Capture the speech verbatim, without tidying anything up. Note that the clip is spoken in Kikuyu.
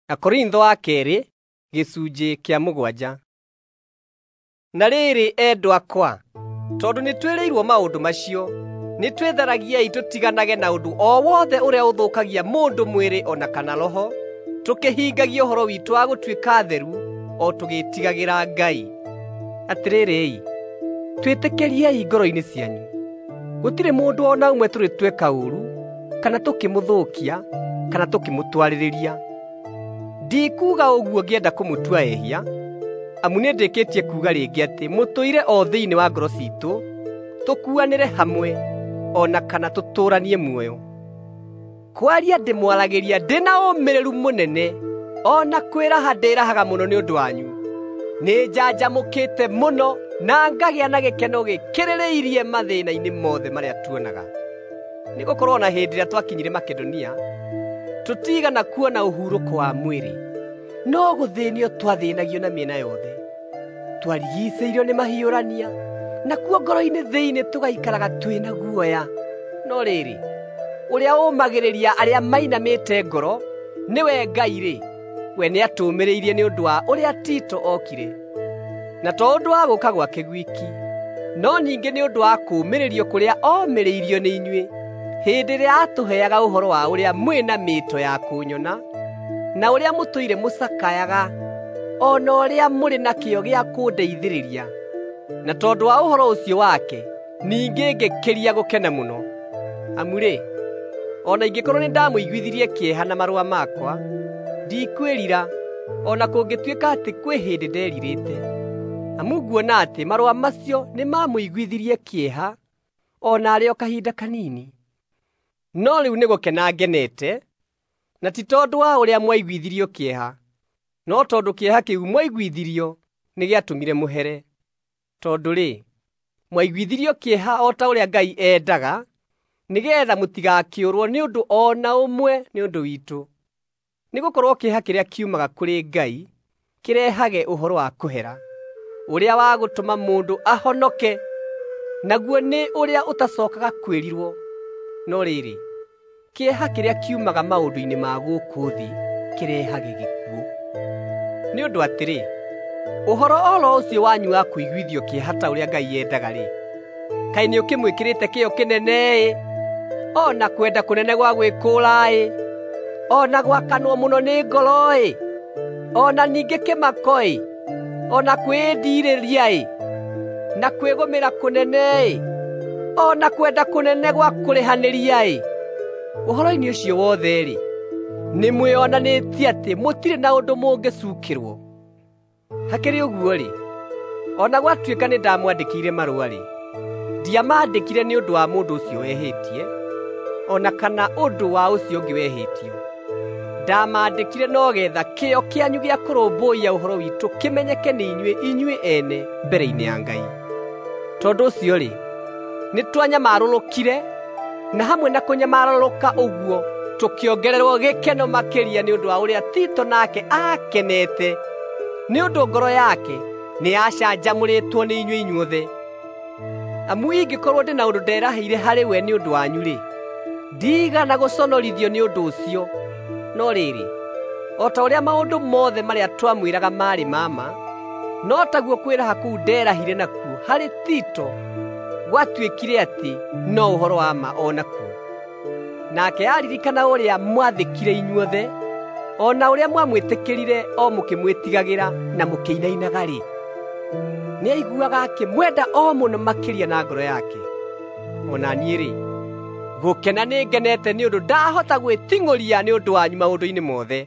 Akorintho wa keerĩ gĩcunjĩ kĩa mũgwanja. Na rĩrĩ, endwa akwa, tondũ nĩtwĩrĩirwo maũndũ macio, nĩtwĩtharagiei tũtiganage na ũndũ o wothe ũrĩa ũthũkagia mũndũ mwĩrĩ o na kana roho, tũkĩhingagia ũhoro witũ wa gũtuĩka atheru o tũgĩĩtigagĩra Ngai. Atĩrĩrĩ-i, twĩtĩkĩriei ngoro-inĩ cianyu, gũtirĩ mũndũ o na ũmwe tũrĩ tweka ũũru, kana tũkĩmũthũkia, kana tũkĩmũtwarĩrĩria. Ndikuuga ũguo ngĩenda kũmũtua ehia, amu nĩndĩkĩtie kuuga rĩngĩ atĩ mũtũire o thĩinĩ wa ngoro ciitũ, tũkuanĩre hamwe, o na kana tũtũũranie muoyo. Kwaria ndĩmwaragĩria ndĩ na ũmĩrĩru mũnene, o na kwĩraha ndĩrahaga mũno nĩ ũndũ wanyu. Nĩnjanjamũkĩte mũno na ngagĩa na gĩkeno gĩkĩrĩrĩirie mathĩna-inĩ mothe marĩa tuonaga. Nĩgũkorwo o na hĩndĩ ĩrĩa twakinyire Makedonia, tũtiigana kuona ũhurũko wa mwĩrĩ, no gũthĩnio twathĩnagio na mĩena yothe. Twarigiicĩirio nĩ mahiũrania, nakuo ngoro-inĩ thĩinĩ tũgaikaraga twĩna guoya. No rĩrĩ, ũrĩa ũũmagĩrĩria arĩa mainamĩte ngoro, nĩwe Ngai-rĩ, we nĩatũũmĩrĩirie nĩ ũndũ wa ũrĩa Tito okire. Na to ũndũ wa gũũka gwake gwiki, no ningĩ nĩ ũndũ wa kũũmĩrĩrio kũrĩa omĩrĩirio nĩ inyuĩ hĩndĩ ĩrĩa aatũheaga ũhoro wa ũrĩa mwĩna mĩĩto ya kũnyona, na ũrĩa mũtũire mũcakayaga, o na ũrĩa mũrĩ na kĩyo gĩa kũndeithĩrĩria. Na tondũ wa ũhoro ũcio wake, ningĩ ngĩkĩria gũkena mũno. Amu-rĩ, o na ingĩkorwo nĩndamũiguithirie kĩeha na marũa makwa, ndikwĩrira, o na kũngĩtuĩka atĩ kwĩ hĩndĩ nderirĩte. Amu nguona atĩ marũa macio nĩmamũiguithirie kĩeha, o naarĩ o kahinda kanini. No rĩu nĩgũkena ngenete, na ti tondũ wa ũrĩa mwaiguithirio kĩeha, no tondũ kĩeha kĩu mwaiguithirio nĩgĩatũmire mũhere. Tondũ-rĩ, mwaiguithirio kĩeha o ta ũrĩa Ngai endaga, nĩgeetha mũtigakĩũrwo nĩ ũndũ o na ũmwe nĩ ũndũ witũ. Nĩgũkorwo kĩeha kĩrĩa kiumaga kũrĩ Ngai kĩrehage ũhoro wa kũhera, ũrĩa wa gũtũma mũndũ ahonoke, naguo nĩ ũrĩa ũtacookaga kwĩrirwo. No rĩrĩ, kĩeha kĩrĩa kiumaga maũndũ-inĩ ma gũkũ thĩ kĩrehage gĩkuũ. Nĩ ũndũ atĩrĩ, ũhoro o ro ũcio wanyu wa kũiguithio kĩeha ta ũrĩa Ngai endaga-rĩ, kaĩ nĩũkĩmwĩkĩrĩte kĩyo kĩnene-ĩ, o na kwenda kũnene gwa gwĩkũũra-ĩ, o na gwakanwo mũno nĩ ngoro-ĩ, o na ningĩ kĩmako-ĩ, o na kwĩĩndirĩria-ĩ, na kwĩgũmĩra kũnene-ĩ, o na kwenda kũnene gwa kũrĩhanĩria-ĩ. Ũhoro-inĩ ũcio wothe-rĩ, nĩmwĩonanĩtie atĩ mũtirĩ na ũndũ mũngĩcuukĩrwo. Hakĩrĩ ũguo-rĩ, o na gwatuĩka nĩndamwandĩkĩire marũa-rĩ, ndiamandĩkire nĩ ũndũ wa mũndũ ũcio wehĩtie, o na kana ũndũ wa ũcio ũngĩ wehĩtio. Ndamandĩkire no getha kĩyo kĩanyu gĩa kũrũmbũiya ũhoro witũ kĩmenyeke nĩ inyuĩ inyuĩ ene mbere-inĩ ya Ngai. Tondũ ũcio-rĩ, nĩtwanyamarũrũkire, na hamwe na kũnyamarũrũka ũguo tũkĩongererwo gĩkeno makĩria nĩ ũndũ wa ũrĩa Tito nake aakenete, nĩ ũndũ ngoro yake nĩyacanjamũrĩtwo nĩ inyuĩ inyuothe. Amu ingĩkorwo ndĩ na ũndũ nderahĩire harĩ we nĩ ũndũ wanyu-rĩ, ndiigana gũconorithio nĩ ũndũ ũcio. No rĩrĩ, o ta ũrĩa maũndũ mothe marĩa twamwĩraga maarĩ ma ma, no taguo kwĩraha kũu nderahire nakuo harĩ Tito gwatuĩkire atĩ no ũhoro wa ma o nakuo. Nake aaririkana ũrĩa mwathĩkire inyuothe, o na ũrĩa mwamwĩtĩkĩrire o mũkĩmwĩtigagĩra na mũkĩinainaga-rĩ, nĩaiguaga akĩmwenda o mũno makĩria na ngoro yake. O na niĩ-rĩ, gũkena nĩngenete nĩ ũndũ ndahota gwĩting'ũria nĩ ũndũ wanyu maũndũ-inĩ mothe.